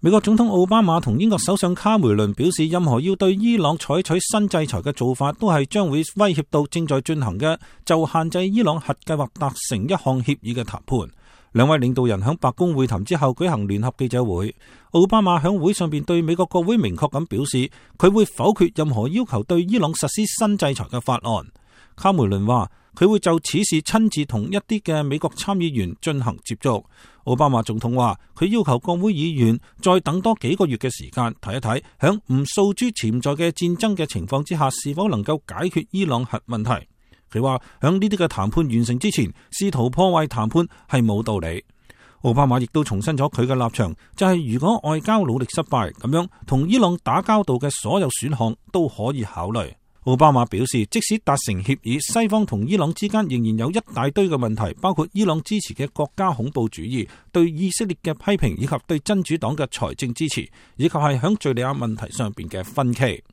美國總統奧巴馬同英國首相卡梅倫表示，任何要對伊朗採取新制裁嘅做法，都係將會威脅到正在進行嘅就限制伊朗核計劃達成一項協議嘅談判。兩位領導人喺白宮會談之後舉行聯合記者會，奧巴馬喺會上邊對美國國會明確咁表示，佢會否決任何要求對伊朗實施新制裁嘅法案。卡梅倫話，佢會就此事親自同一啲嘅美國參議員進行接觸。奧巴馬總統話，佢要求國會議員再等多幾個月嘅時間，睇一睇響唔訴諸潛在嘅戰爭嘅情況之下，是否能夠解決伊朗核問題。佢話響呢啲嘅談判完成之前，試圖破壞談判係冇道理。奧巴馬亦都重申咗佢嘅立場，就係如果外交努力失敗，咁樣同伊朗打交道嘅所有選項都可以考慮。奧巴馬表示，即使達成協議，西方同伊朗之間仍然有一大堆嘅問題，包括伊朗支持嘅國家恐怖主義、對以色列嘅批評，以及對真主黨嘅財政支持，以及係響敘利亞問題上邊嘅分歧。